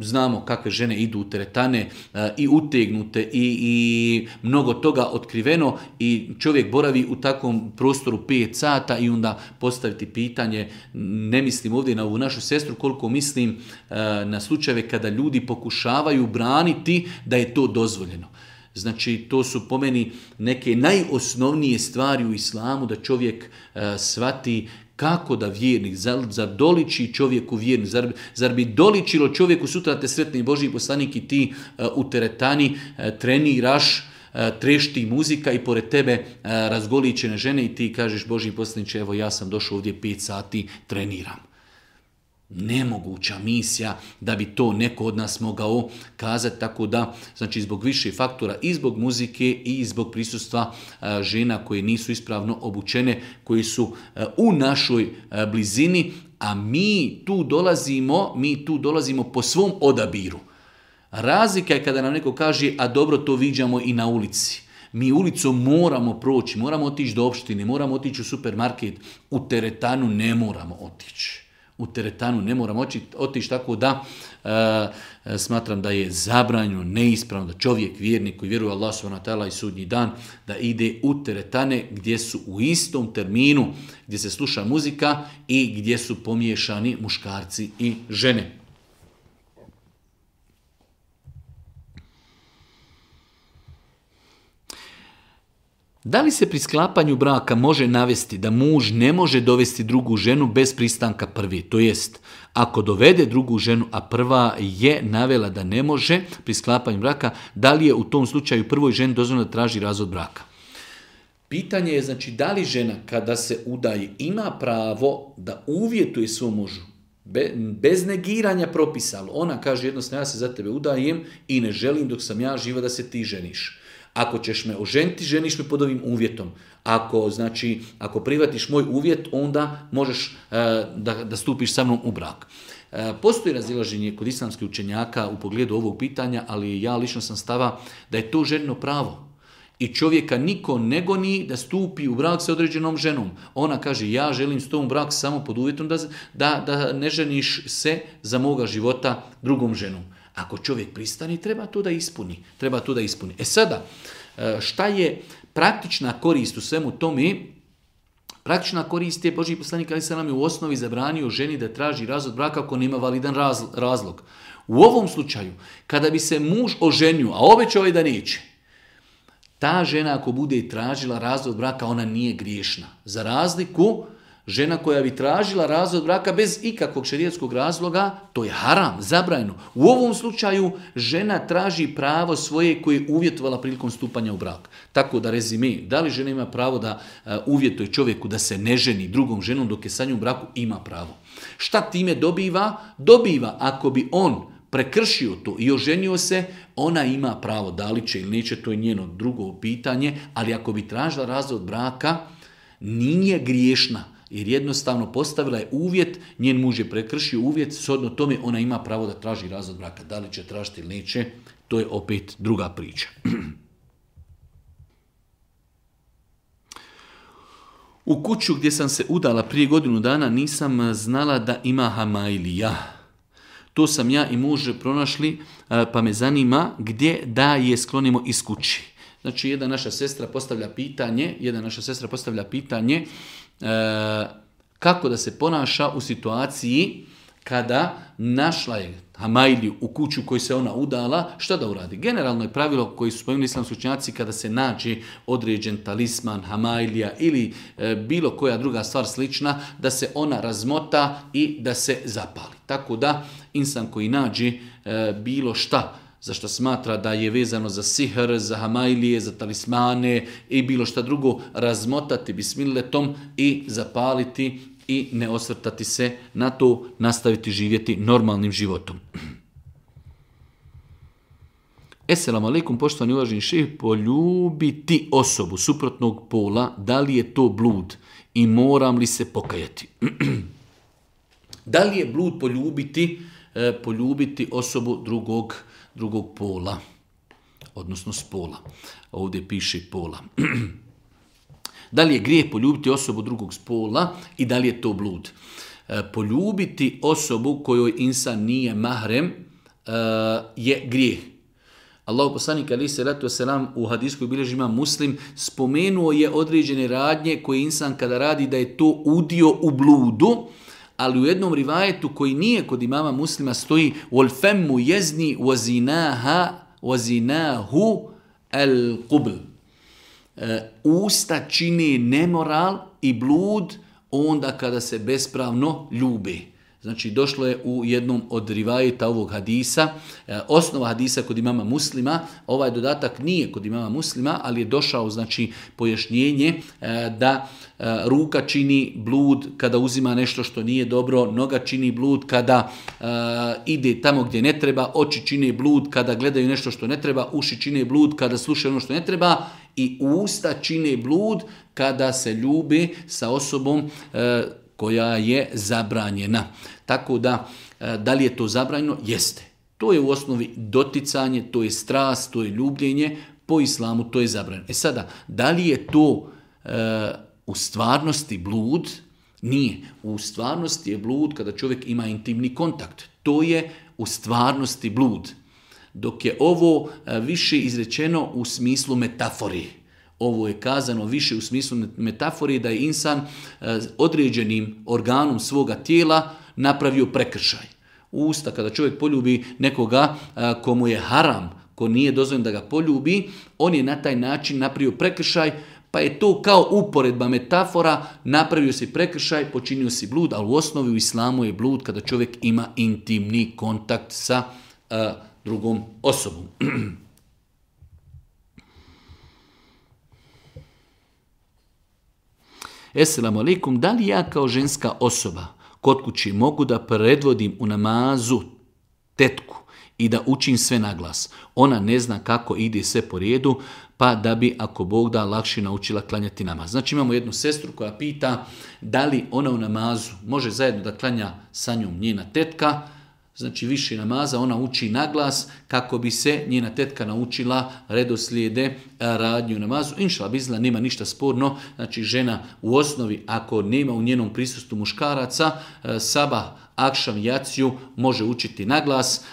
znamo kakve žene idu u teretane, i utegnute i mnogo toga otkriveno i čovjek boravi u takvom prostoru 5 sata i onda postaviti pitanje, ne mislim ovdje na ovu našu sestru, koliko mislim na slučajeve kada ljudi pokušavaju braniti da je to dozvoljeno. Znači, to su po meni neke najosnovnije stvari u islamu, da čovjek shvati kako da vjernik, zar doliči čovjeku vjernik, zar bi doličilo čovjeku sutra te sretni Božji poslanik i ti u teretani treniraš, trešti muzika i pored tebe razgoličene žene i ti kažeš Božji poslaniče, evo ja sam došao ovdje 5 sati, treniram. Nemoguća misija da bi to neko od nas mogao kazati, tako da, znači zbog više faktora, i zbog muzike i zbog prisustva žena koje nisu ispravno obučene, koji su u našoj blizini, a mi tu dolazimo po svom odabiru. Razlika je kada nam neko kaže, a dobro, to viđamo i na ulici. Mi ulicom moramo proći, moramo otići do opštine, moramo otići u supermarket, u teretanu ne moramo otići. U teretanu ne moramo otići, tako da smatram da je zabranjeno, neispravno da čovjek, vjernik koji vjeruje Allah subhanahu wa ta'ala i sudnji dan, da ide u teretane gdje su u istom terminu, gdje se sluša muzika i gdje su pomiješani muškarci i žene. Da li se pri sklapanju braka može navesti da muž ne može dovesti drugu ženu bez pristanka prvi? To jest, ako dovede drugu ženu, a prva je navela da ne može pri sklapanju braka, da li je u tom slučaju prvoj ženi dozvoljeno da traži razvod braka? Pitanje je, znači, da li žena kada se udaje ima pravo da uvjetuje svom mužu bez negiranja propisa. Ona kaže jednostavno, ja se za tebe udajem i ne želim dok sam ja živa da se ti ženiš. Ako ćeš me oženiti, ženiš me pod ovim uvjetom. Ako prihvatiš moj uvjet, onda možeš da stupiš sa mnom u brak. Postoji razilaženje kod islamskih učenjaka u pogledu ovog pitanja, ali ja lično sam stava da je to ženino pravo. I čovjeka niko ne goni da stupi u brak sa određenom ženom. Ona kaže, ja želim s tom brak samo pod uvjetom da ne ženiš se za moga života drugom ženom. Ako čovjek pristani, treba to da ispuni. E sada, šta je praktična korist u svemu tome? Praktična korist je, Božji poslanik alejhi selam je u osnovi zabranio ženi da traži razvod braka ako nema validan razlog. U ovom slučaju, kada bi se muž oženio, a obećao je da neće, ta žena ako bude tražila razvod braka, ona nije griješna. Za razliku, žena koja bi tražila razvod braka bez ikakvog šerijatskog razloga, to je haram, zabranjeno. U ovom slučaju žena traži pravo svoje koje je uvjetovala prilikom stupanja u brak. Tako da rezime, da li žena ima pravo da uvjetuje čovjeku da se ne ženi drugom ženom dok je sa njom u braku, ima pravo. Šta time dobiva? Dobiva ako bi on prekršio to i oženio se, ona ima pravo, da li će ili neće, to je njeno drugo pitanje, ali ako bi tražila razvod braka, nije griješna. Jer jednostavno postavila je uvjet, njen muž je prekršio uvjet, shodno tome ona ima pravo da traži razvod braka. Da li će tražiti ili neće, to je opet druga priča. U kuću gdje sam se udala prije godinu dana nisam znala da ima hamajlija. To sam ja i muž pronašli, pa me zanima gdje da je sklonimo iz kući. Znači, jedna naša sestra postavlja pitanje kako da se ponaša u situaciji kada našla je hamajliju u kuću koju se ona udala, šta da uradi? Generalno je pravilo koji su spomenuli islamski učenjaci kada se nađe određen talisman, hamajlija ili bilo koja druga stvar slična, da se ona razmota i da se zapali. Tako da insan koji nađe bilo šta za što smatra da je vezano za sihr, za hamajlije, za talismane i bilo šta drugo, razmotati bismilletom i zapaliti i ne osvrtati se na to, nastaviti živjeti normalnim životom. Esselamu alaikum, poštovani uvaženi šejh, poljubiti osobu suprotnog pola, da li je to blud i moram li se pokajati? Da li je blud poljubiti osobu drugog pola, odnosno spola. Ovdje piše pola. Da li je grijeh poljubiti osobu drugog spola i da li je to blud? Poljubiti osobu kojoj insan nije mahrem je grijeh. Allahu poslanik alejhi selatu vesselam u hadisu koji bilježi Imam Muslim spomenuo je određene radnje koje insan kada radi da je to udio u bludu, ali u jednom rivajetu koji nije kod imama Muslima stoji wal famu yazni wa zinahu al qubl. Usta čini nemoral i blud onda kada se bespravno ljube. Znači došlo je u jednom od rivajeta ovog hadisa, osnova hadisa kod imama Muslima, ovaj dodatak nije kod imama Muslima, ali je došao znači pojašnjenje da ruka čini blud kada uzima nešto što nije dobro, noga čini blud kada ide tamo gdje ne treba, oči čine blud kada gledaju nešto što ne treba, uši čine blud kada slušaju ono što ne treba i usta čine blud kada se ljube sa osobom koja je zabranjena. Tako da li je to zabranjeno? Jeste. To je u osnovi doticanje, to je strast, to je ljubljenje, po islamu to je zabranjeno. Sada, da li je to u stvarnosti blud? Nije. U stvarnosti je blud kada čovjek ima intimni kontakt. To je u stvarnosti blud. Dok je ovo više izrečeno u smislu metafori. Ovo je kazano više u smislu metafore da je insan određenim organom svoga tijela napravio prekršaj. Usta, kada čovjek poljubi nekoga komu je haram, ko nije dozvoljeno da ga poljubi, on je na taj način napravio prekršaj, pa je to kao uporedba metafora, napravio si prekršaj, počinio si blud, ali u osnovi u islamu je blud kada čovjek ima intimni kontakt sa drugom osobom. Esselamu alaikum, da li ja kao ženska osoba kod kući mogu da predvodim u namazu tetku i da učim sve na glas? Ona ne zna kako ide sve po redu, pa da bi, ako Bog da, lakše naučila klanjati namaz. Znači imamo jednu sestru koja pita da li ona u namazu može zajedno da klanja sa njom njena tetka, znači više namaza, ona uči naglas kako bi se njena tetka naučila redoslijede radnju namazu. Inšala bizla, nema ništa sporno, znači žena u osnovi ako nema u njenom prisustvu muškaraca, sabah, akšam, jaciju može učiti naglas,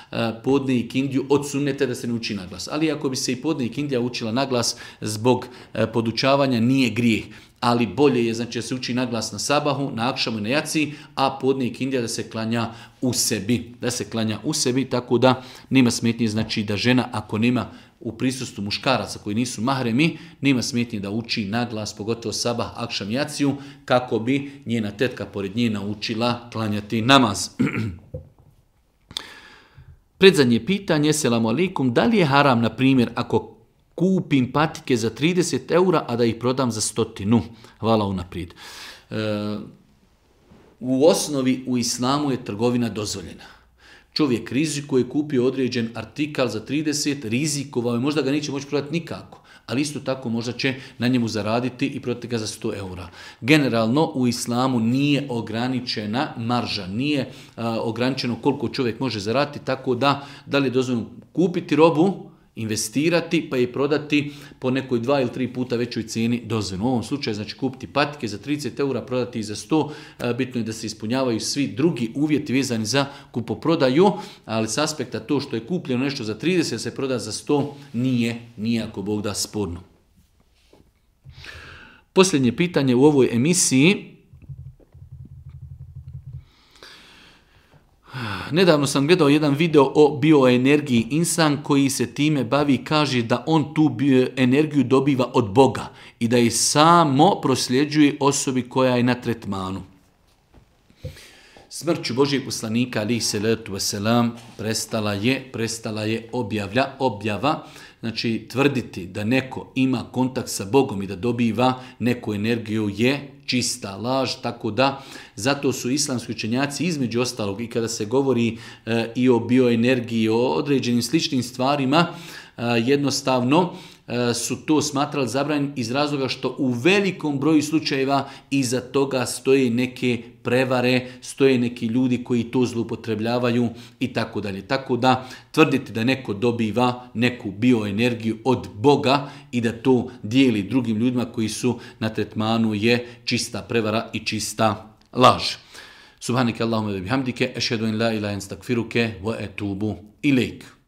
podne i kindiju od sunnete da se ne uči naglas. Ali ako bi se i podne i kindija učila naglas zbog podučavanja nije grijeh. Ali bolje je znači da se uči naglas na sabahu, na akšamu i na jaciji, a podne i kindija da se klanja u sebi. Da se klanja u sebi, tako da nema smetnje znači da žena ako nema u prisustvu muškaraca koji nisu mahremi, nema smetnje da uči naglas, pogotovo sabah, akšam, jaciju, kako bi njena tetka pored nje naučila klanjati namaz. Predzadnje pitanje, selamu alaikum, da li je haram, na primjer, ako kupim patike za 30 eura, a da ih prodam za 100? Hvala unaprijed. U osnovi u islamu je trgovina dozvoljena. Čovjek rizikuje, kupio određen artikal za 30, rizikovao je, možda ga neće moći prodati nikako, ali isto tako možda će na njemu zaraditi i prodati ga za 100 eura. Generalno u islamu nije ograničena marža, nije ograničeno koliko čovjek može zaraditi, tako da li je dozvoljeno kupiti robu, investirati pa je prodati po nekoj 2 ili 3 puta većoj cijeni dozvoljeno. U ovom slučaju znači kupiti patike za 30 eura, prodati ih za 100, bitno je da se ispunjavaju svi drugi uvjeti vezani za kupoprodaju, ali s aspekta to što je kupljeno nešto za 30 se proda za 100 nije ako Bog da sporno. Posljednje pitanje u ovoj emisiji. Nedavno sam gledao jedan video o bioenergiji. Insan koji se time bavi kaže da on tu energiju dobiva od Boga i da je samo prosljeđuje osobi koja je na tretmanu. Smrću Božijeg poslanika alejhi selatu vesselam prestala je objava. Znači tvrditi da neko ima kontakt sa Bogom i da dobiva neku energiju je čista laž, tako da zato su islamski učenjaci između ostalog i kada se govori i o bioenergiji, o određenim sličnim stvarima, jednostavno su to smatrali zabranjenim iz razloga što u velikom broju slučajeva iza toga stoje neke prevare, stoje neki ljudi koji to zloupotrebljavaju i tako dalje. Tako da tvrditi da neko dobiva neku bioenergiju od Boga i da to dijeli drugim ljudima koji su na tretmanu je čista prevara i čista laž. Subhaneke Allahumma wa bihamdike, ešhedu en la ilaha illa ente, estagfiruke wa etubu ilejk.